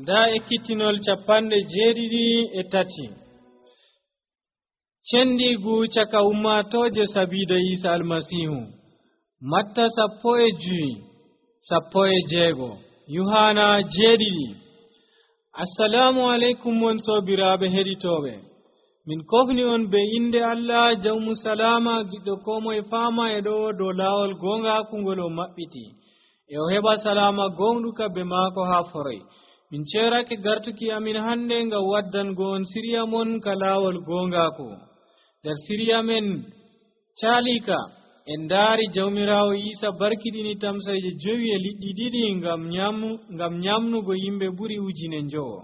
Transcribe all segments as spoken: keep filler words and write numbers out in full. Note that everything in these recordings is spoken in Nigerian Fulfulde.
nda ekkitinol capanɗe jeeɗiɗi e tati cendigu caka ummatoje sabida Isa almasihu. Matta sappo e juyi sappo e jeego Yohana jeeɗiɗi. Assalamu alaikum won sobiraɓe heɗitoɓe, min kofni on be inde Allah jawmu salama giɗɗo komoye fama e ɗo dow lawol gonga kungol o maɓɓiti e o heɓa salama gonɗuka be maako ha foroy. Min cerake gartuki amin hande ngam waddango on siriya mon ka lawol gongaku. nder siriya men calika en daari jawmirawo Isa barkiɗini tamsaje jowi e liɗɗi ɗiɗi ngam nyamu ngam nyamnugo yimɓe ɓuri ujine njowo.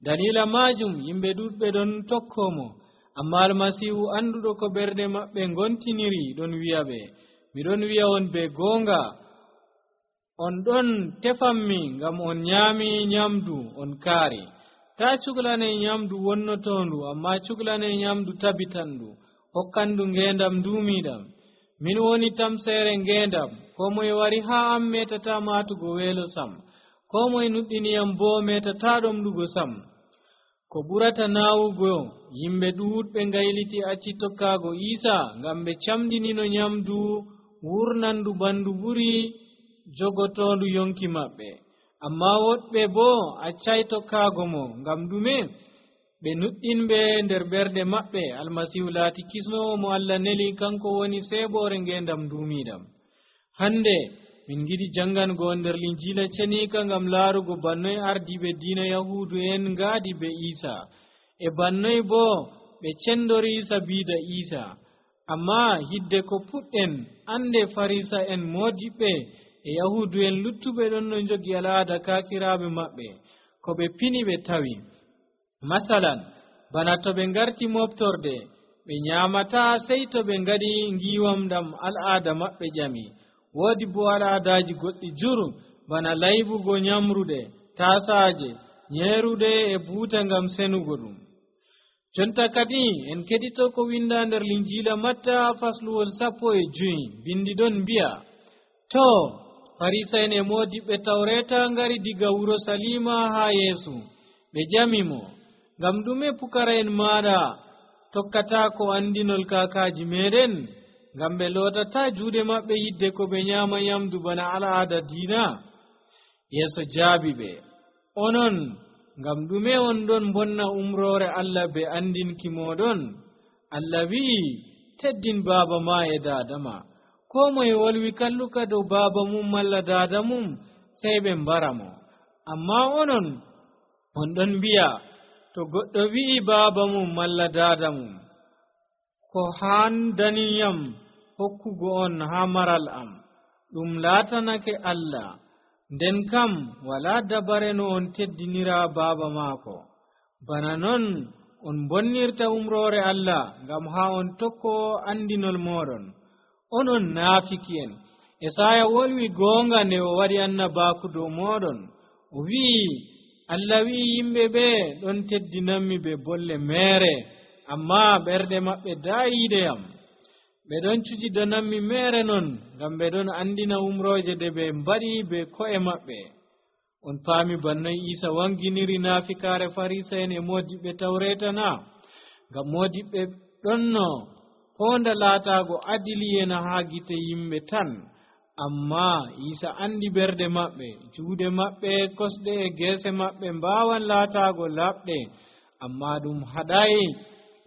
dalila majum yimɓe ɗuɗɓe ɗon tokkomo, amma almasihu anduɗo ko ɓerɗe maɓɓe gontiniri ɗon wi'aɓe, miɗon wi'a on be gonga, on ɗon tefammi ngam on nyami nyamdu on kaari. ta cuglane nyamdu wonnotondu, amma cuglane nyamdu tabitandu hokkandu ngendam dumiɗam. min woni tamsere ngendam, ko moye wari ha am metata matugo weelo sam, ko moye nuɗɗiniyam bo metata ɗomɗugo sam. ko ɓurata nawugo yimɓe ɗuɗɓe ngayliti acci tokkago Isa ngam ɓe camɗinino nyamdu wurnandu bandu ɓuri jogotondu yonki maɓɓe, amma woɗɓe bo accay tokkago mo ngam ɗume? ɓe nuɗɗinɓe nder ɓerɗe maɓɓe almasihu laati kisnowo mo Allah neli, kanko woni seɓore ngendam dumiɗam. hande min giɗi jangango nder linjila cenika ngam laarugo bannoy ardiɓe diina yahudu en ngaadi be Isa e bannoy bo ɓe cendori sabida Isa. amma hidde ko puɗɗen ande farisa en modiɓɓe e yahudu en luttuɓe ɗon no jogi al'ada kakiraɓe maɓɓe ko ɓe pini ɓe tawi. masalan bana to ɓe ngarti moftorde ɓe nyamata sey to ɓe ngadi ngiwam ɗam al'ada maɓɓe ƴami. woodi bo al'adaji goɗɗi juru bana laybugo nyamruɗe tasaje nyeruɗe e buuta ngam senugo ɗum. jonta kadi en keɗito ko winda nder linjila Matta fasluwol sappo e juyi bindi ɗon mbi'a, to farisa'en e modiɓɓe tawreta ngari diga wuro Salima ha Yeesu ɓe jamimo, ngam ɗume pukara'en maɗa tokkata ko andinol kakaji meɗen? ngam ɓe lotata juuɗe maɓɓe yidde ko ɓe nyama nyamdu bana al'ada diina. Yeesu jaabi ɓe, onon ngam ɗume on ɗon bonna umrore Allah be andinki moɗon? Allah wi'i, teddin baaba ma e dada ma. ko moye wolwi kalluka dow baaba mum malla dada mum sey ɓe mbara mo. amma onon on ɗon mbi'a, to goɗɗo wi'i baaba mum malla dada mum, ko handaniyam hokkugo on ha maral am, ɗum laatanake Allah, nden kam wala dabare no on teddinira baaba maako. bana non on bonnirta umrore Allah ngam ha on tokko andinol moɗon. onon naafiki'en, Esaya wolwi goonga nde o waɗi annabaku dow moɗon. o wi'i, Allah wi'i yimɓe ɓe ɗon teddinanmi be bolle meere, amma ɓerɗe maɓɓe daayideyam. ɓe ɗon cujidananmi meere non ngam ɓe ɗon andina umroje ɗe ɓe mbaɗi be ko'e maɓɓe. on paami bannoy Isa wanginiri naafikare farisa'en e modiɓɓe tawreta na? ngam modiɓɓe ɗonno honda laatago adiliyena ha gite yimɓe tan, amma Isa andi ɓerɗe maɓɓe, juuɗe maɓɓe, kosɗe e geese maɓɓe mbawan laatago laɓɗe, amma ɗum haɗayi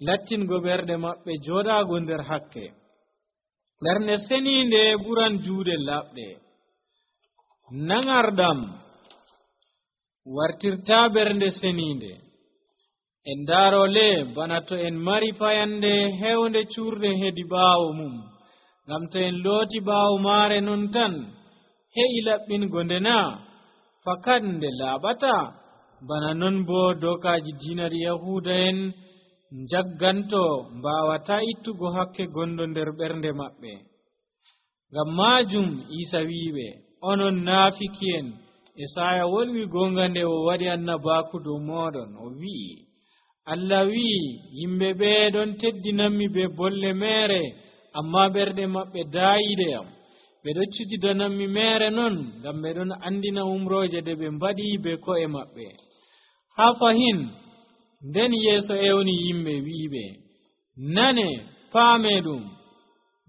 lattingo ɓerɗe maɓɓe joɗago nder hakke. ɓernde seninde ɓuran juuɗe laɓɗe. nangarɗam wartirta ɓernde seninde. en darole bana to en mari fayande hewnde curde hedi ɓaawo mum, ngam to en looti ɓaawo maare non tan he'i laɓɓingo ndena fakat nde laaɓata. bana non bo dokaji diinaɗi yahuda en jagganto mbawata ittugo hakke gondo nder ɓernde maɓɓe. ngam majum Isa wiɓe, onon naafiki'en, Esaya wolwi gonga nde o waɗi annabaku dow moɗon. o wi'i, Allah wi'i, yimɓe ɓe ɗon teddinanmi be bolle meere, amma ɓerɗe maɓɓe daayideyam. ɓe ɗon cujidananmi meere non ngam ɓe ɗon andina umroje ɗe ɓe mbaɗi be ko'e maɓɓe. ha fahin nden yeeso ewni yimɓe wi'iɓe, nane paame ɗum,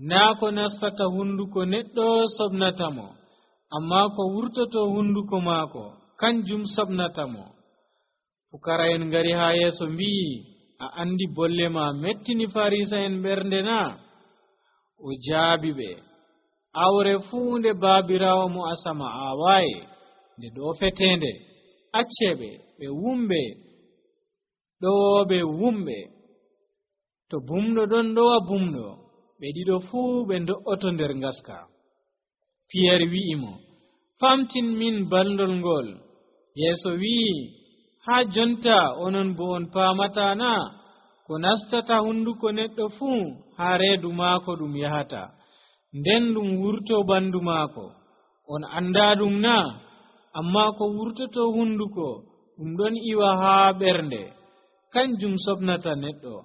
naa ko nastata hunduko neɗɗo sobnatamo, amma ko wurtoto hunduko maako kanjum sobnatamo. Pukara'en ngari ha yeeso mbi'i, a andi bolle ma mettini Farisa'en ɓernde na? O jaabi ɓe, awre fuu nde baabirawo mo asama aawaye nde ɗo fetende, acceɓe ɓe wumɓe ɗowoɓe wumɓe. To bumɗo ɗon ɗowa bumɗo, ɓe ɗiɗo fuu ɓe do'oto nder ngaska. Piyer wi'imo, famtin min balndol ngol. Yeeso wi'i, ha jonta onon bo on paamata na? Ko nastata hunduko neɗɗo fuu ha reedu maako ɗum yahata, nden ɗum wurto bandu maako. On anda ɗum na? Amma ko wurtoto hunduko ɗum ɗon iwa ha ɓernde, kanjum sobnata neɗɗo.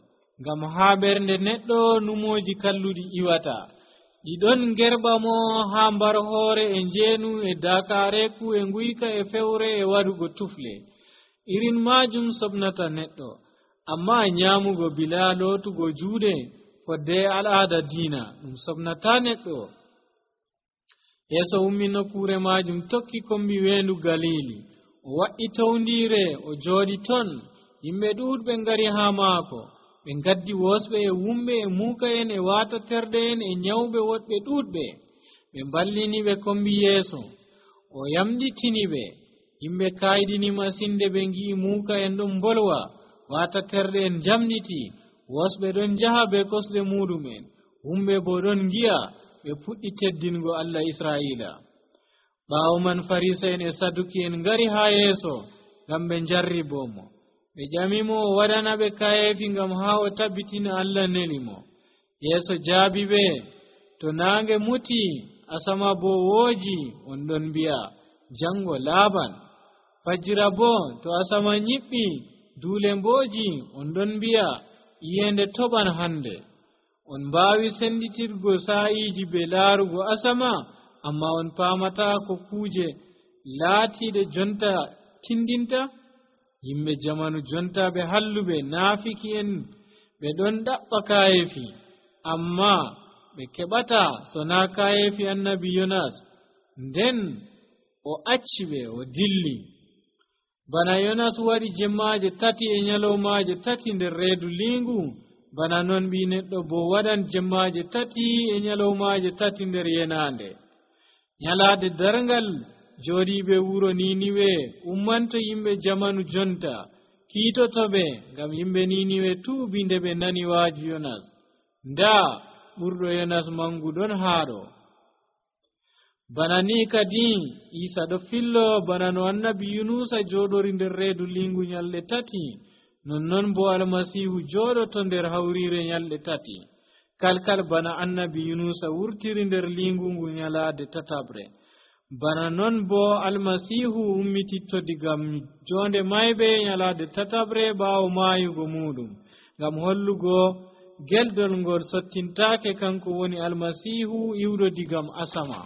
Ngam ha ɓernde neɗɗo numoji kalluɗi iwata, ɗiɗon gerɓa mo ha mbar hoore e njeenu e dakareku e nguyka e fewre e waɗugo tufle. Irin majum sobnata neɗɗo. Amma nyamugo bila lootugo juuɗe fodde al'ada diina ɗum sobnata neɗɗo. Yeeso ummi nokkure majum tokki kombi weendu Galili. O wa'i towndire o jooɗi ton. Yimɓe ɗuɗɓe ngari ha maako. Ɓe gaddi wosɓe e wumɓe e muuka'en e waataterɗe'en e nyawɓe woɗɓe ɗuɗɓe. Ɓe mballini ɓe kombi Yeeso. O yamɗitini ɓe. Yimɓe kayɗini masinde ɓe ngi'i muuka'en ɗon mbolwa, waataterɗe'en jamɗiti, wosɓe ɗon jaha be kosɗe muɗumen, wumɓe bo ɗon ngi'a. Ɓe puɗɗi teddingo Allah Israa'ila. Ɓaawo man Farisa'en e Saduki'en ngari ha Yeeso ngam ɓe njarribomo. Ɓe ƴamimo o waɗana ɓe kayeefi ngam ha o tabbitina Allah nelimo. Yeeso jaabi ɓe, to naange muti asama bo wooji, on ɗon mbi'a jango laaɓan. Fajira bo to asama nyiɓɓi duule mbooji, on ɗon mbi'a iyende toɓan hande. On mbaawi senditirgo sa'iiji be laarugo asama, amma on paamata ko kuuje laatiiɗe jonta tindinta. Yimɓe jamanu jonta ɓe halluɓe naafiki'en ɓe ɗon ɗaɓɓa kayeefi, amma ɓe keɓata so naa kayeefi annabi Yonas. Nden o acci ɓe o dilli. Bana Yonas waɗi jemmaaje tati e nyalowmaaje tati nder reedu liingu, bana non ɓii neɗɗo bo waɗan jemmaaje tati e nyalowmaaje tati nder yenaande. Nyalaade darngal jooɗiiɓe wuro Niniwe ummanto yimɓe jamanu jonta kiitoto ɓe, ngam yimɓe Niniwe tuubi nde ɓe nani waaji Yonas. Ndaa ɓurɗo Yonas mangu ɗon haaɗo. Bana ni kadi Isa ɗo fillo bana no annabi Yunusa jooɗori nder reedu liingu nyalɗe tati, nonnon bo Almasiihu jooɗoto nder hawriire nyalɗe tati, kalkal bana annabi Yunusa wurtiri nder liingu ngu nyalaade tatabre. Bana non bo Almasiihu ummititto diga jonde mayɓe nyalaade tatabre ɓaawo maayugo muɗum, ngam hollugo geldol ngol sottintaake kanko woni Almasiihu iwɗo digam asama.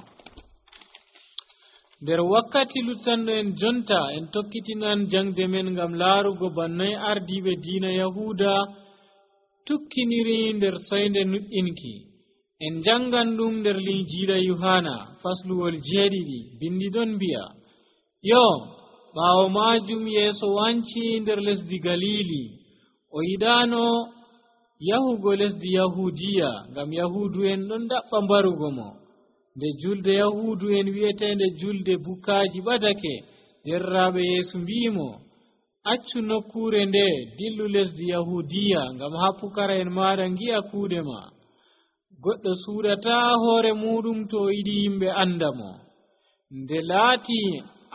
Nder wakkati luttanɗo en jonta en tokkitinan jangde men ngam laarugo bannoy ardiiɓe diina Yahuuda tukkiniri nder soynde nuɗɗinki. En jangan ɗum nder linjiila Yohana fasluwol jeeɗiɗi. Bindi ɗon mbi'a, yo ɓaawo maajum Yeeso wanci nder lesdi Galili. O yiɗaano yahugo lesdi Yahudiya ngam Yahuudu'en ɗon ɗaɓɓa mbarugo mo. Nde julde Yahuudu'en wi'eteende julde Bukaaji ɓadake, derraaɓe Yeesu mbi'imo, accu nokkure nde dillu lesdi Yahudiya ngam ha pukara'en maɗa ngi'a kuuɗe ma. Goɗɗo suuɗata hoore muɗum to o yiɗi yimɓe anda mo. Nde laati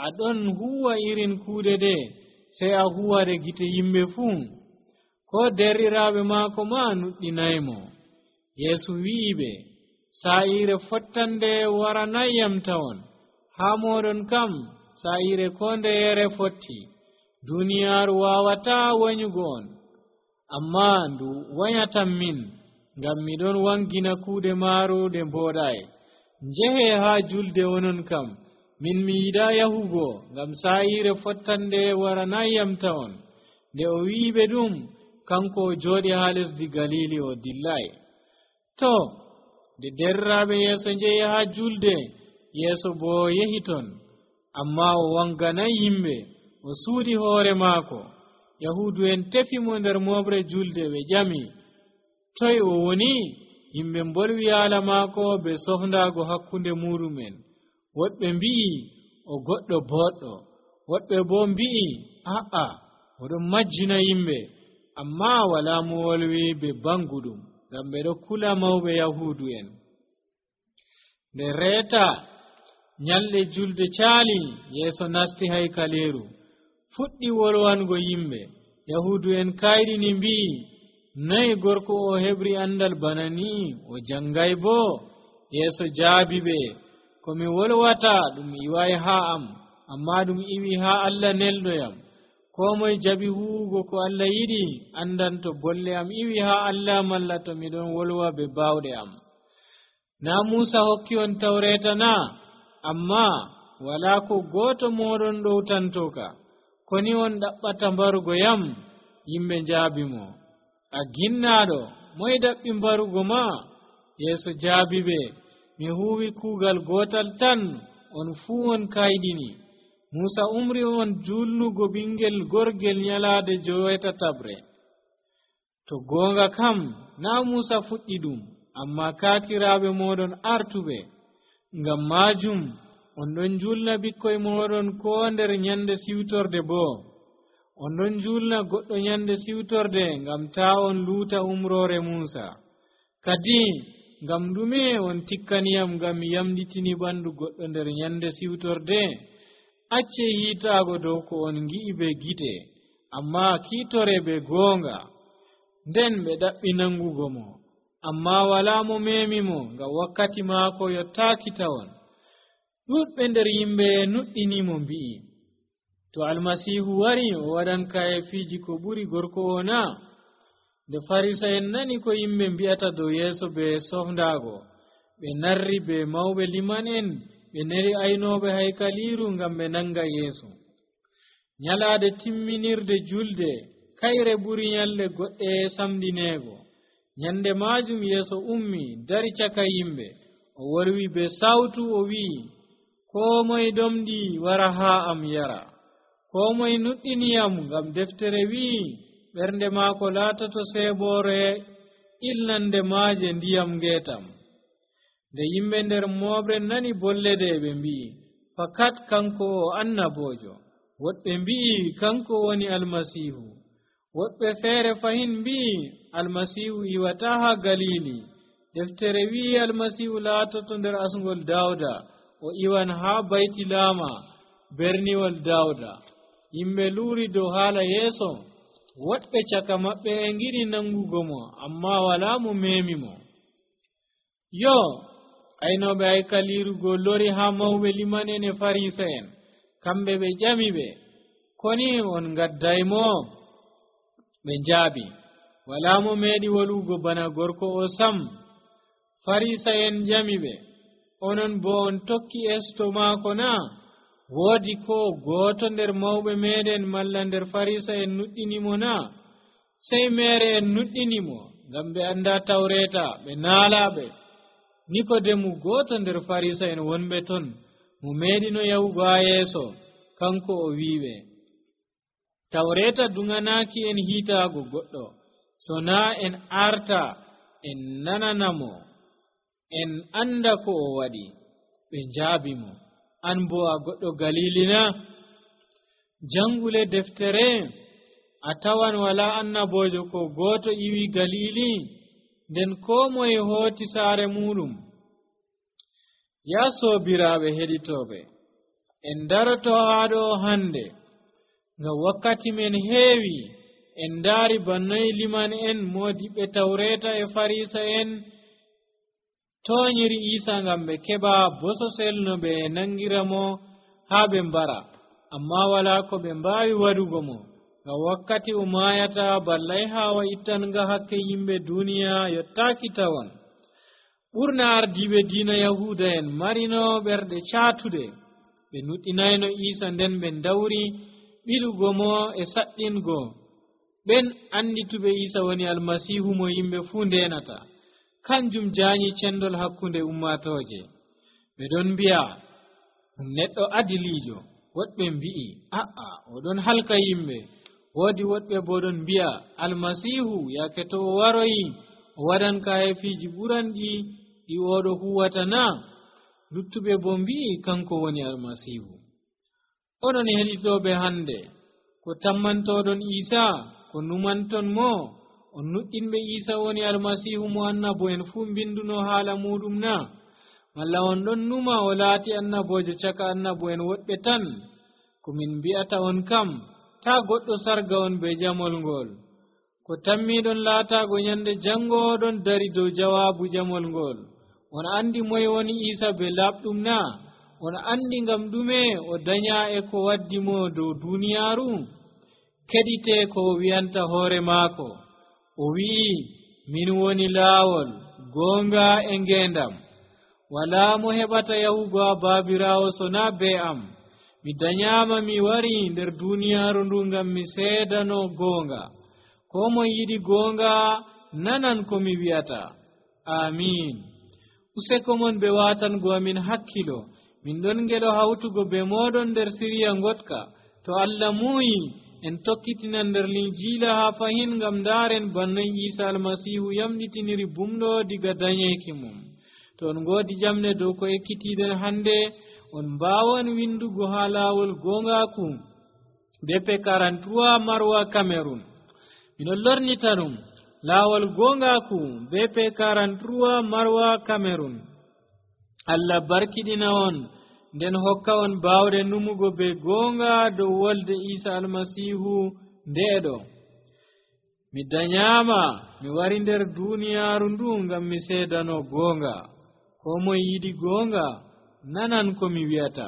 aɗon huwa irin kuuɗe ɗe, sey a huwade gite yimɓe fuu, ko derriraaɓe maako ma nuɗɗinaymo. Yeesu wi'iɓe, saa'ire fottande waranayyam tawon, haa moɗon kam saa'ire ko ndeyere fotti. Duniyaaru waawataa wanyugo on, amma ndu wanyatan min, ngam miɗon wangina kuuɗe maaru ɗe mbooɗaay. Njehe haa julde onon kam, min mi yiɗa yahugo ngam saayire fottande waranayam tawon. Nde o wi'iɓe ɗum, kanko o jooɗi haa lesdi Galili o dillay. To nde derraaɓe yeeso njehi haa julde, yeeso boo yehi ton, amma o wanganay yimɓe, o suuɗi hoore maako. Yahuudu en tefi mo nder moɓre julde, ɓe ƴami, toye o woni? Yimɓe mbolwi haala maako be sofndaago hakkunde muɗumen. Woɗɓe mbi'i o goɗɗo boɗɗo, woɗɓe boo mbi'i a'a, oɗon majjina yimɓe. Amma walaa mo wolwi be banguɗum, ngam ɓe ɗo kula mawɓe Yahuudu en. Nde reeta nyalɗe julde caali, yeeso nasti haykaleeru, fuɗɗi wolwango yimɓe. Yahuudu en kayɗini mbi'i, noye gorko o heɓri andal bana ni? O jangay boo? Yeeso jaabi ɓe, ko mi wolwata ɗum iway haa am, amma ɗum iwi haa Allah neldoyam. Koo moye jaɓi huwugo ko Allah yiɗi andan to bolle am iwi haa Allah malla to miɗon wolwa be baawɗe am. Naa Muusa hokki on tawreeta na? Amma walaa ko gooto mooɗon ɗowtantoka. Koni on ɗaɓɓata mbarugo yam? Yimɓe njaabi mo, a ginnaaɗo, moye daɓɓi mbarugo ma? Yeeso jaabi ɓe, mi huuwi kuugal gootal tan, on fuu on kayɗini. Muusa umri on julnugo ɓingel gorgel nyalaade joweetataɓre. To goonga kam, naa Muusa fuɗɗi ɗum, amma kaakiraaɓe mooɗon artuɓe. Ngam maajum on ɗon julna ɓikkoy mooɗon koo nder nyande siwtorde boo. On ɗon julna goɗɗo nyande siwtorde ngam taa on luuta umroore Muusa. Kadi ngam ɗume on tikkaniyam ngam mi yamɗitini ɓandu goɗɗo nder nyande siwtorde? Acce hiitaago dow ko on ngi'i be gite, amma kiitore be goonga. Nden ɓe ɗaɓɓi nangugo mo, amma walaa mo meemi mo ngam wakkati maako yottaaki tawon. Ɗuɗɓe nder yimɓe nuɗɗini mo mbi'i, to Almasiihu wari o waɗan kayefiiji ko ɓuri gorko o na? Nde Farisa'en nani ko yimɓe mbi'ata dow Yeeso be sofndaago, ɓe narri be mawɓe liman en, ɓe neri aynooɓe haykaliiru ngam ɓe nanga Yeesu. Nyalaade timminirde julde, kayre ɓuri nyalɗe goɗɗe samdineego. Nyande maajum Yeeso ummi dari caka yimɓe, o wolwi be sawtu o wi'i, koo moye domɗi wara haa am yara. Koo moye nuɗɗiniyam ngam deftere wi'i, ɓernde maako laatoto seeboore ilnande maaje ndiyam ngeetam. Nde yimɓe nder mooɓre nani bollede, ɓe mbi'i, fakat kanko o annaboojo. Woɗɓe mbi'i kanko woni Almasiihu. Woɗɓe feere fahin mbi'i Almasiihu iwataa haa Galili. Deftere wi'i Almasiihu laatoto nder asngol Dawda, o iwan haa Baytilama, berniwol Dawda. Yimɓe luuri dow haala Yeeso. Woɗɓe caka maɓɓe e ngiɗi nangugo mo, amma walaa mo meemi mo. Yo, aynooɓe haykaliiru go lori haa mawɓe liman en e Farisa'en. Kamɓe ɓe ƴami ɓe, koni on ngaddaymo? Ɓe njaabi, walaa mo meeɗi wolugo bana gorko o sam. Farisa'en ƴami ɓe, onon boo on tokki esto maako na? Woodi ko gooto nder mawɓe meeɗen malla nder Farisa'en nuɗɗinimo na? Sey meere en nuɗɗinimo ngam ɓe anndaa tawreeta, ɓe naalaaɓe. Nikodemu gooto nder Farisa'en wonɓe ton, mo meeɗino yahugo haa Yeeso, kanko o wi'iɓe, tawreeta duŋanaaki en hiitaago goɗɗo, so naa en arta en nananamo, en annda ko o waɗi. Ɓe njaabi mo, an boo a goɗɗo Galili na? Jangule deftere, a tawan walaa annaboojo ko gooto iwi Galili, nden koo moye hooti saare muɗum. Yaa soobiraaɓe heɗitooɓe, en daroto haa ɗo hannde, ngam wakkati men heewi. En ndaari bannoye liman en, moodiɓɓe tawreeta e Farisa'en tooñiri Iisa ngam ɓe keɓa bososel no ɓe nangira mo haa ɓe mbara, amma walaa ko ɓe mbaawi waɗugo mo, ngam wakkati o maayata ballay haawa ittanga hakke yimɓe duuniya yottaaki tawon. Ɓurna ardiiɓe diina Yahuuda en marino ɓerɗe caatude, ɓe nuɗɗinayno Isa nden ɓe dawri ɓilugo mo e saɗɗingo ɓen andituɓe Isa woni almasihu mo yimɓe fuu ndenata. Kanjum jaanyi cendol hakkunde ummatoje. ɓe ɗon mbi'a neɗɗo adilijo, woɗɓe mbi'i a'a oɗon halka yimɓe. Woodi woɗɓe bo ɗon mbi'a almasihu yake to o waroyi o waɗan kayefiji ɓuranɗi ɗi oɗo huwata na. luttuɓe bo mbi'i kanko woni almasihu. oɗon heɗitoɓe hande, ko tammantoɗon Isa, ko numanton mo on nuɗɗinɓe Isa woni almasihu mo annabo en fu binduno haala muɗum na? Malla on ɗon numa o laati annabojo caka annabo en woɗɓe tan? Ko min mbi'ata on kam, ta goɗɗo sarga on be jamol ngol. Ko tammiɗon laatago nyande jango oɗon dari dow jawabu jamol ngol. On andi moye woni Isa be labɗum na? On andi ngam ɗume o danya e ko waddi mo dow duniyaru? Keɗite ko o wi'anta hoore maako. O wi'i, min woni laawol, goonga e ngendam. Wala mo heɓata yahugo ha Baabiraawo so na be am. Mi danyama mi wari nder duniyaru ndu ngam mi seedano goonga. Ko mo yiɗi goonga nanan ko mi wi'ata. Amin. Useko mon be watango amin hakkilo. Min ɗon ngelo hawtugo be moɗon nder siriya ngotka. To Allah muyi en tokkitinan nder linjiila ha fahin ngam ndaren bannoy Isa almasihu yamɗitiniri bumɗo diga danyeki mum. To on ngoodi jamne dow ko ekkitiɗen hande, on mbawan windugo ha laawol gongaku B P quarante-trois Marwa Cameroon. Minon lornita ɗum laawol gongaku B P quarante-trois Marwa Cameroon. Allah barkiɗina on nden hokka on bawde numugo be gonga dow wolde Isa almasihu ndeɗo. Mi danyama mi wari nder duniyaru ndu ngam mi seedano gonga. Ko moye yiɗi gonga nanan ko mi wi'ata.